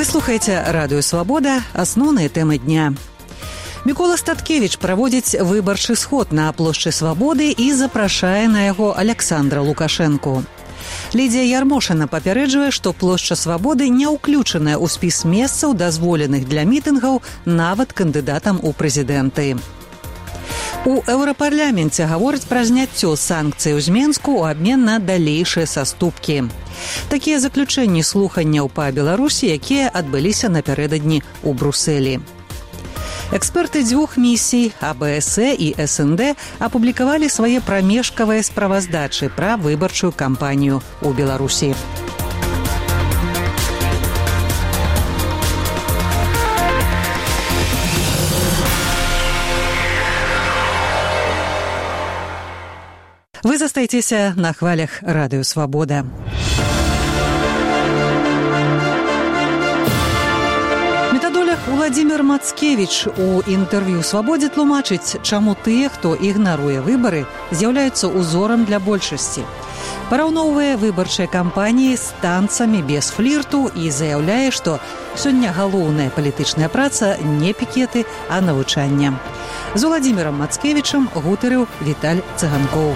слухаеце радыё «Свабода», асноўныя тэмы дня. Мікола Статкевіч праводзіць выбарчы сход на плошчы Свабоды і запрашае на яго Александра Лукашэнку. Лідзія Ярмошына папярэджвае, што плошча Свабоды не ўключаная ў спіс месцаў, дазволеных для мітынгаў нават кандыдатам у прэзідэнты. У Еўрапарламенце гавораць пра зняццё санкцый з Менску ў абмен на далейшыя саступкі. Такія заключэнні слуханняў па Беларусі, якія адбыліся напярэдадні ў Брусэлі. Эксперты дзвюх місій АБС і СНД апублікавалі свае прамежкавыя справаздачы пра выбарчую кампанію ў Беларусі. Вы застаецеся на хвалях радыё «Свабода». Метадолог Уладзімір Мацкевіч у інтэрв'ю «Свабодзе» тлумачыць, чаму тыя, хто ігнаруе выбары, з'яўляюцца узорам для большасці. Параўноўвае выбарчыя кампаніі з танцамі без флірту і заяўляе, што сёння галоўная палітычная праца не пікеты, а навучанне. З Уладзімірам Мацкевічам гутарыў Віталь Цыганкоў.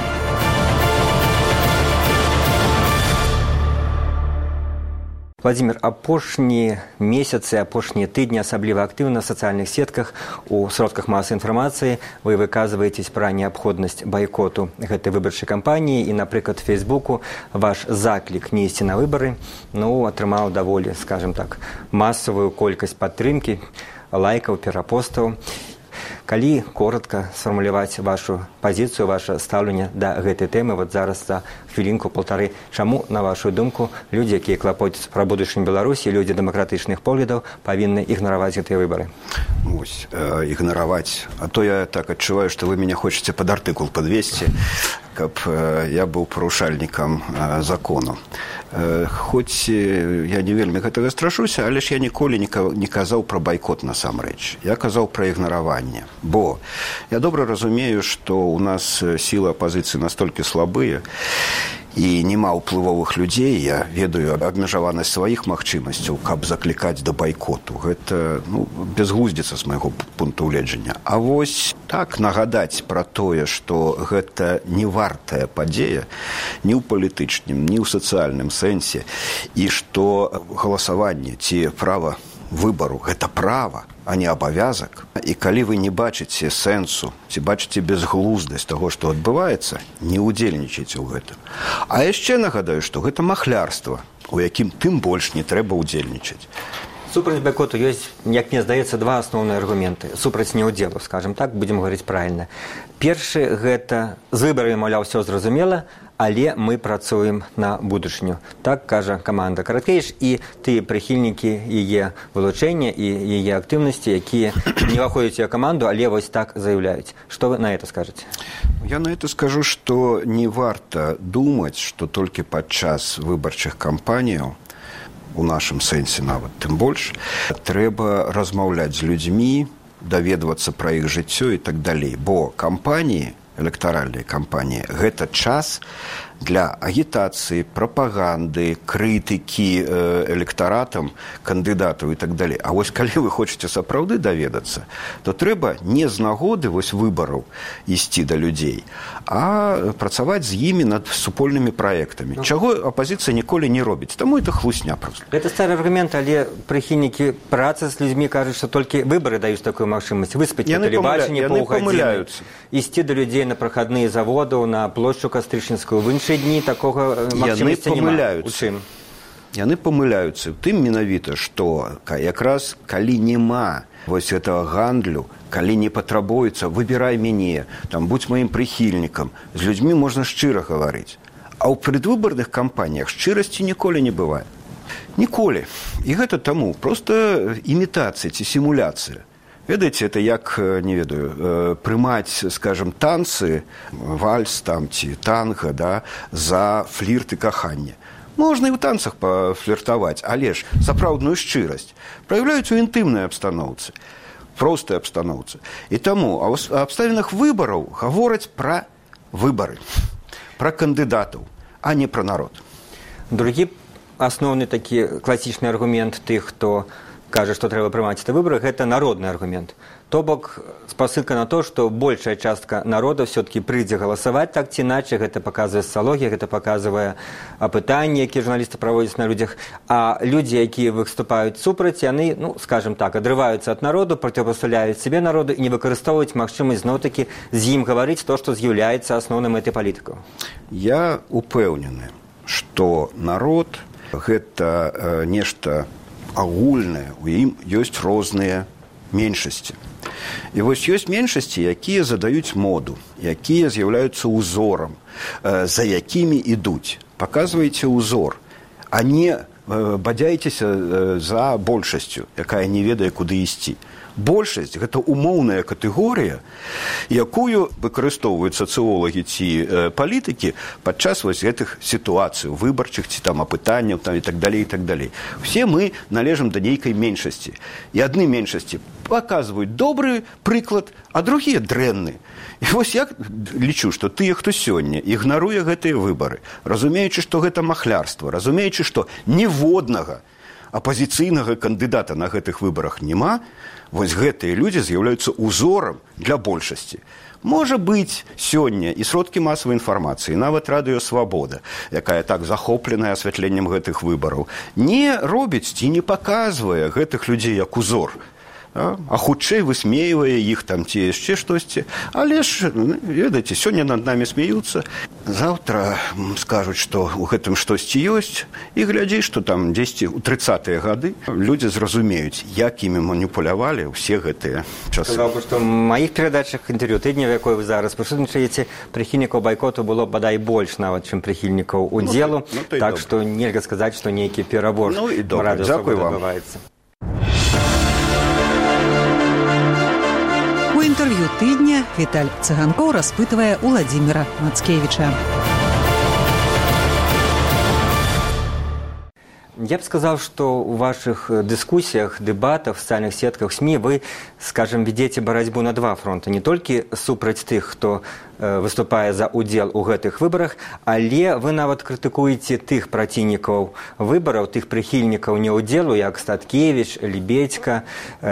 Владимир, апошнія месяцы, апошнія тыдні асабліва актыўна на сацыяльных сетках, у сродках масавай інфармацыі вы выказваеце пра неабходнасць байкоту гэтай выбарчай кампаніі і, напрыклад, Фейсбуку ваш заклік не ісці на выбары атрымаў даволі, скажем так, масавую колькасць падтрымкі, лайкаў, перапостаў. Калі коротка сфармуляваць вашу пазіцыю, ваше стаўленне да гэтай тэмы, зараз за хвілінку-паўтары, чаму, на вашу думку, людзі, якія клапоцяцца пра будучыню Беларусі, людзі дэмакратычных поглядаў, павінны ігнараваць гэтыя выбары? Ігнараваць. А то я так адчуваю, што вы мяне хочаце пад артыкул падвесці, каб я быў парушальнікам закону. Хоць я не вельмі гэтага страшуся, але ж я ніколі не казаў пра байкот насамрэч. Я казаў пра ігнараванне. Бо я добра разумею, што ў нас сілы апазіцыі настолькі слабыя, і няма ўплывовых людзей, я ведаю абмежаванасць сваіх магчымасцяў, каб заклікаць да байкоту. Гэта безглуздзіца з майго пункту гледжання. А вось так нагадаць пра тое, што гэта не вартая падзея ні ў палітычным, ні ў сацыяльным сэнсе, і што галасаванне ці права выбару – гэта права, а не абавязак. І калі вы не бачыце сэнсу, ці бачыце безглуздасць таго, што адбываецца, не ўдзельнічайце ў гэтым. А яшчэ нагадаю, што гэта махлярства, у якім тым больш не трэба ўдзельнічаць. Супраць байкоту ёсць, як мне здаецца, два асноўныя аргументы. Супраць неўдзелу, скажем так, будзем гаварыць правільна. Першы – гэта з выбарамі, маўляў, ўсё зразумела, але мы працуем на будучыню. Так кажа каманда Караткевіч і тыя прыхільнікі яе вылучэння і яе актыўнасці, якія не ўваходзяць у каманду, але вось так заяўляюць. Што вы на это скажаце? Я на это скажу, што не варта думаць, што толькі падчас выбарчых кампаніяў, у нашым сэнсе нават тым больш, трэба размаўляць з людзьмі, даведвацца пра іх жыццё і так далей. Бо кампаніі, электаральныя кампаніі, гэта час для агітацыі, прапаганды, крытыкі электаратам, кандыдатаў і так далей. А вось калі вы хочаце сапраўды даведацца, то трэба не з нагоды выбараў ісці да людзей, а працаваць з імі над супольнымі праектамі. Чаго апазіцыя ніколі не робіць. Таму это хлусня проста. Гэта стары аргумент, але прыхільнікі працы з людзьмі кажуць, што толькі выбары даюць такую магчымасць. Выспаць на тэлебачанні паўгадзіны, ісці да людзей на прахадныя заводаў, на плошчу Кастрычніцкую, в іншыя дні такога магчымасці няма. У чым? Яны памыляюцца. Тым менавіта, што якраз калі няма вось гэтага гандлю, калі не патрабуецца, выбірай мяне, будзь маім прыхільнікам, з людзьмі можна шчыра гаварыць. А ў предвыбарных кампаніях шчырасці ніколі не бывае. Ніколі. І гэта таму проста імітацыя ці сімуляцыя. Ведаеце, это як, не ведаю, прымаць, скажем, танцы, вальс ці танга, за флірт і каханне. Можна і ў танцах пафліртаваць, але ж сапраўдную шчырасць праяўляюць у інтымнай абстаноўцы, простай абстаноўцы. І таму ў абставінах выбараў гавораць пра выбары, пра кандыдатаў, а не пра народ. Другі асноўны такі класічны аргумент тых, хто кажа, што трэба прымаць на выборах, гэта народны аргумент. То бок спасылка на то, што большая частка народа все-таки прыйдзе галасаваць так ці іначай, гэта паказвае сацыялогія, гэта паказвае апытанні, якія журналісты праводзяць на людзях, а людзі, якія выступаюць супраць, яны, скажем так, адрываюцца ад народу, проціпастаўляюць сябе народу і не выкарыстоўваюць магчымасць зноў-такі з ім гаварыць то, што з'яўляецца асноўнай мэтай палітыкаў. Я упэўнены, што народ гэта нешта агульнае, у ім ёсць розныя меншасці. І вось ёсць меншасці, якія задаюць моду, якія з'яўляюцца ўзорам, за якімі ідуць. Паказвайце ўзор, а не бадзяйцеся за большасцю, якая не ведае, куды ісці. Большасць – гэта умоўная катэгорыя, якую выкарыстоўваюць сацыолагі ці палітыкі падчас вось гэтых сітуацый, выбарчых ці там апытанняў там, і так далей, і так далей. Все мы належым да нейкай меншасці. І адны меншасці паказваюць добры прыклад, а другія дрэнны. І вось я лічу, што тыя, хто сёння ігнаруе гэтыя выбары, разумеючы, што гэта махлярства, разумеючы, што ніводнага апазіцыйнага кандыдата на гэтых выбарах няма, вось гэтыя людзі з'яўляюцца ўзорам для большасці. Можа быць, сёння і сродкі масавай інфармацыі, нават радыё «Свабода», якая так захопленая асвятленнем гэтых выбараў, не робіць ці не паказвае гэтых людзей як узор, а хутчэй высмейвае іх там ці яшчэ штосьці. Але ж, ведаеце, сёння над намі смеюцца, заўтра скажуць, што ў гэтым штосьці ёсць, і глядзі, што там дзесьці ў 30-е гады людзі зразумеюць, як імі маніпулявалі ўсе гэтыя часы. Сказаў бы, што ў маіх перадачах інтэрв'ю тыдня, в якой вы зараз прысутнічаеце, прыхільнікаў байкоту было бадай больш нават, чым прыхільнікаў удзелу, так што нельга сказаць, што нейкі перабор радыё «Свабода» адбываецца. У інтэрв'ю тыдня Віталь Цыганкоў распытвае Уладзіміра Мацкевіча. Я б сказаў, што ў вашых дыскусіях, дэбатах, сацыяльных сетках, СМІ вы, скажем, ведзеце барацьбу на два фронты. Не толькі супраць тых, хто выступае за удзел у гэтых выбарах, але вы нават крытыкуеце тых праціўнікаў выбараў, тых прыхільнікаў неўдзелу, як Статкевіч, Лебедзька,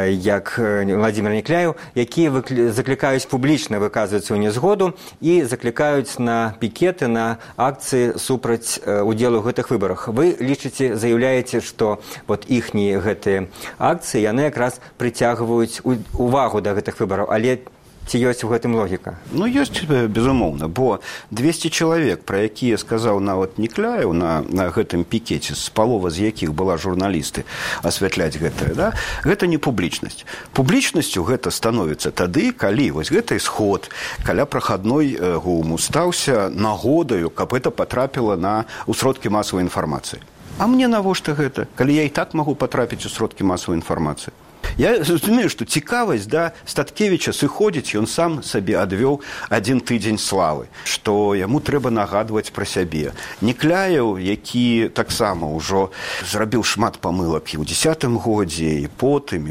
як Владзімір Някляеў, якія заклікаюць публічна выказвацца ў нязгоду і заклікаюць на пікеты, на акцыі супраць удзелу ў гэтых выбарах. Вы лічыце, заяўляеце, што вот іхнія гэтыя акцыі, яны якраз прыцягваюць увагу да гэтых выбараў, але ці ёсць у гэтым логіка? Ну, ёсць, безумоўна, бо 200 чалавек, пра якія сказаў нават Някляеў на гэтым пікеце, з палова з якіх была журналісты асвятляць гэтае, да? Гэта не публічнасць. Публічнасцю гэта становіцца тады, калі вось гэты сход каля прахадной ГУМу стаўся нагодаю, каб гэта патрапіла ў сродкі масавай інфармацыі. А мне навошта гэта, калі я і так магу патрапіць у сродкі масавай інфармацыі? Я разумею, што цікавасць да Статкевіча сыходзіць, ён сам сабе адвёў адзін тыдзень славы, што яму трэба нагадваць пра сябе. Някляеў, які таксама ўжо зрабіў шмат памылак і ў 10-м годзе, і потым,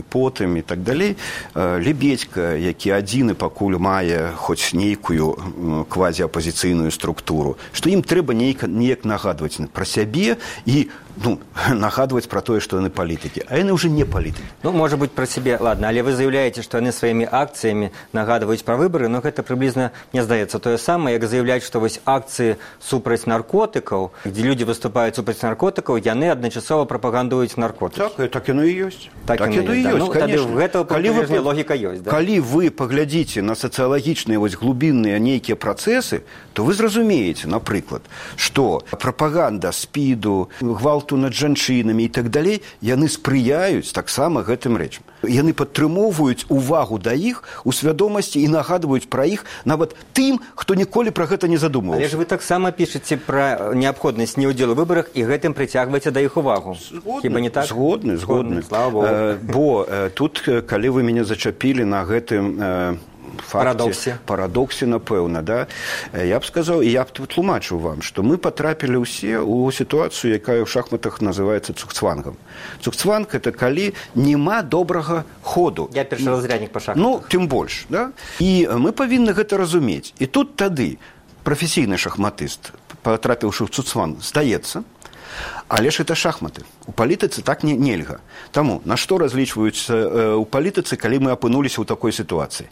і так далей. Лебедзька, які адзіны пакуль мае хоць нейкую квазіапазіцыйную структуру, што ім трэба неяк нагадваць пра сябе і нагадваць пра тое, што яны палітыкі. А яны ўжо не палітыкі. Ну, можа быць, пра сябе, ладно, але вы заяўляеце, што яны сваімі акцыямі нагадваюць пра выбары, но гэта прыблізна, мне здаецца, тое самае, як заяўляць, што вось акцыі супраць наркотыкаў, дзе людзі выступаюць супраць наркотыкаў, яны адначасова прапагандуюць наркотыкі. Так яно і ёсць. Так яно і ёсць, конечно. Гэтага логіка ёсць. Калі вы паглядзіце на сацыялагічныя вось глубінныя нейкія працэсы, то вы зразумееце, напрыклад, што прапаганда спіду, гвалту над жанчынамі і так далей, яны спрыяюць таксама гэтым рэчам. Яны падтрымоўваюць увагу да іх у свядомасці і нагадваюць пра іх нават тым, хто ніколі пра гэта не задумваўся. Але ж вы таксама пішаце пра неабходнасць неўдзелу ў выбарах і гэтым прыцягваеце да іх увагу. Хіба не так? Згодны. Слава Богу. Бо тут, калі вы мяне зачапілі на гэтым парадоксе, напэўна, да? Я б сказаў, і я б тлумачыў вам, што мы патрапілі ўсе ў сітуацыю, якая ў шахматах называецца цугцвангам. Цугцванг – это калі няма добрага ходу. Я першаразряднік па шахматах. Ну, тым больш, да? І мы павінны гэта разумець. І тут тады прафесійны шахматыст, патрапіўшы ў цугцванг, здаецца, Але ж это шахматы. У палітыцы так нельга. Таму, на што разлічваюцца у палітыцы, калі мы апынуліся ў такой сітуацыі?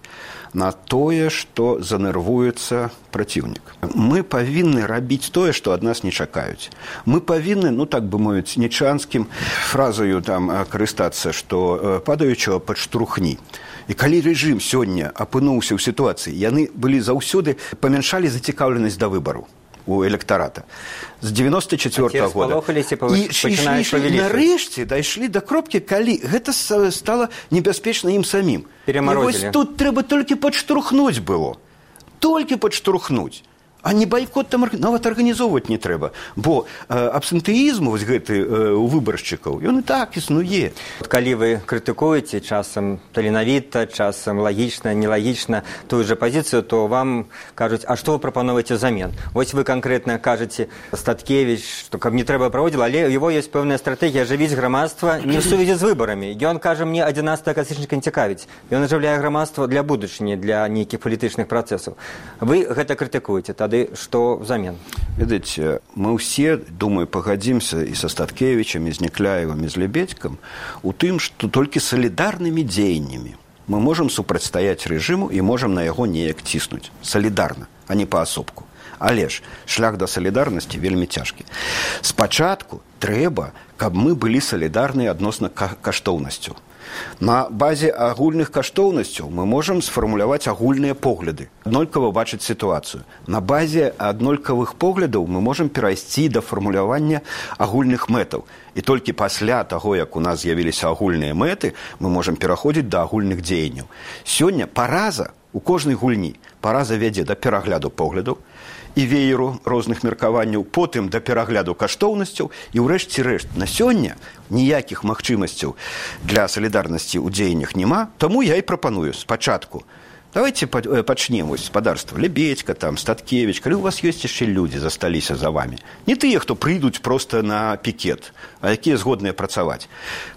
На тое, што занервуецца праціўнік. Мы павінны рабіць тое, што ад нас не чакаюць. Мы павінны, так бы мовіць, нечанскім фразаю там карыстацца, што падаючага падштурхні. І калі рэжым сёння апынуўся ў сітуацыі, яны былі заўсёды памяншалі зацікаўленасць да выбару у электарата. З 94-го года. І нарэшце дайшлі да кропкі, калі гэта стала небяспечна ім самім. І вось тут трэба толькі падштурхнуць было. Толькі падштурхнуць. А не байкот там нават арганізоўваць не трэба. Бо абсэнтэізм вось гэты у выбаршчыкаў, ён і так існуе. Калі вы крытыкуеце часам таленавіта, часам лагічна, нелагічна тую же пазіцыю, то вам кажуць, а што вы прапановаеце взамен? Вось вы канкрэтна кажаце Статкевіч, што каб не трэба праводзіла, але у яго ёсць пэўная стратэгія ажывіць грамадства не ў сувязі з выбарамі. Ён кажа, мне 11 кастрычніка не цікавіць. Ён ажыўляе грамадства для будучыні, для нейкіх палітычных працэсаў. Вы гэта крытыкуеце. Тады што взамен? Ведаеце, мы ўсе, думаю, пагадзімся і са Статкевічам, і з Некляевым, і з Лебедзькам у тым, што толькі салідарнымі дзеяннямі мы можам супрацьстаяць рэжыму і можам на яго неяк ціснуць. Салідарна, а не паасобку. Але ж шлях да салідарнасці вельмі цяжкі. Спачатку трэба, каб мы былі салідарныя адносна каштоўнасцю. На базе агульных каштоўнасцяў мы можам сфармуляваць агульныя погляды, аднолькава бачыць сітуацыю. На базе аднолькавых поглядаў мы можам перайсці да фармулявання агульных мэтаў. І толькі пасля таго, як у нас з'явіліся агульныя мэты, мы можам пераходзіць да агульных дзеянняў. Сёння параза у кожнай гульні. Параза вядзе да перагляду поглядаў і вееру розных меркаванняў, потым да перагляду каштоўнасцяў і ўрэшце рэшт. На сёння ніякіх магчымасцяў для салідарнасці ў дзеяннях няма, таму я і прапаную спачатку. Давайте пачнем гаспадарства. Лебедзька, там, Статкевіч, калі у вас ёсць яшчэ людзі засталіся за вами. Не тыя, хто прыйдуць проста на пікет, а якія згодныя працаваць.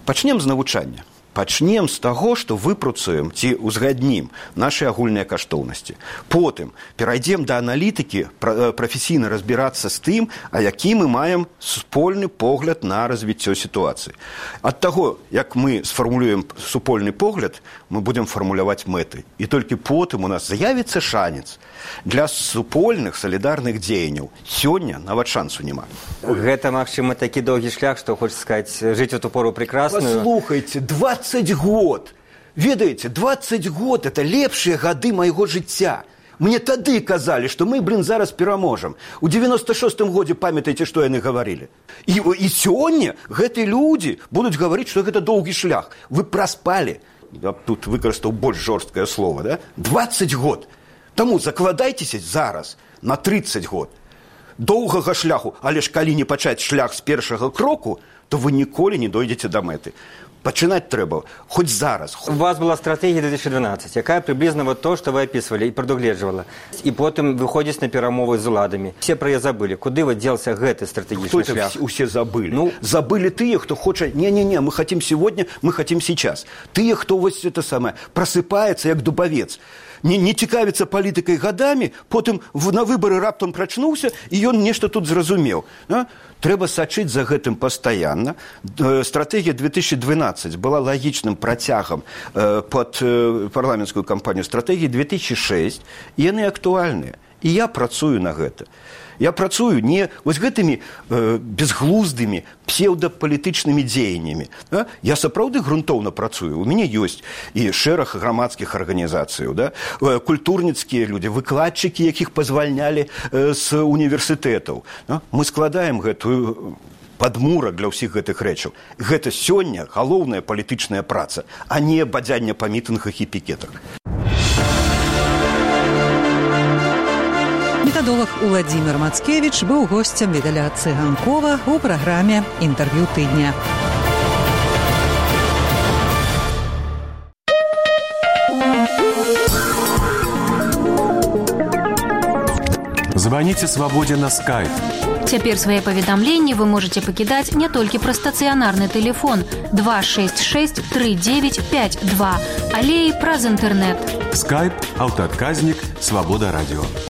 Пачнем з навучання. Пачнем з таго, што выпрацуем ці ўзгаднім нашы агульныя каштоўнасці. Потым перайдзем да аналітыкі, прафесійна разбірацца з тым, а які мы маем супольны погляд на развіццё сітуацыі. Ад таго, як мы сфармулюем супольны погляд, мы будзем фармуляваць мэты. І толькі потым у нас з'явіцца шанец для супольных салідарных дзеянняў. Сёння нават шансу няма. Гэта, магчыма, такі доўгі шлях, што хочаш сказаць, жыць у ту пору прекрасную. Паслухайце, 20 год. Ведаеце, 20 год – это лепшыя гады майго жыцця. Мне тады казалі, што мы, зараз пераможам. У 96-м годзе памятаеце, што яны гаварылі. І сёння гэтыя людзі будуць гаварыць, што гэта доўгі шлях. Вы праспалі. Я тут выкарыстаў больш жорсткае слово, да? 20 год. Таму закладайцеся зараз на 30 год. Доўгага шляху, але ж калі не пачаць шлях з першага кроку, то вы ніколі не дойдзеце да мэты. Пачынаць трэба хоць зараз. У вас была стратэгія 2012, якая прыблізна вот то, што вы апісвалі і прадугледжвала. І потым выходзіць на перамовы з уладамі. Все пра яе забылі. Куды вот дзелся гэты стратэгічны шлях? Усе забылі. Забылі тыя, хто хоча, не-не-не, мы хотим сегодня, мы хотим сейчас. Тыя, хто вось это самае, просыпаецца як дубавец. Не цікавіцца палітыкай гадамі, потым на выбары раптам прачнуўся, і ён нешта тут зразумеў. Трэба сачыць за гэтым пастаянна. Стратэгія 2012 была лагічным працягам пад парламенцкую кампанію стратэгіі 2006, і яны актуальныя. І я працую на гэта. Я працую не вось гэтымі безглуздымі псеўдапалітычнымі дзеяннямі. Я сапраўды грунтоўна працую. У мяне ёсць і шэраг грамадскіх арганізацыяў, культурніцкія людзі, выкладчыкі, якіх пазвальнялі з універсітэтаў. Мы складаем гэтую падмурак для ўсіх гэтых рэчаў. Гэта сёння галоўная палітычная праца, а не бадзянне па мітынгах і пікетах. Метадолог Уладзімір Мацкевіч быў госцем Віталя Цыганкова у праграме «Інтэрв'ю тыдня». Звоните «Свободе» на Skype. Цяпер свае паведамленні вы можаце пакідаць не толькі праз стацыянарны тэлефон 266 3952, але і праз інтэрнэт. Skype, аўтаадказнік, Свобода радио.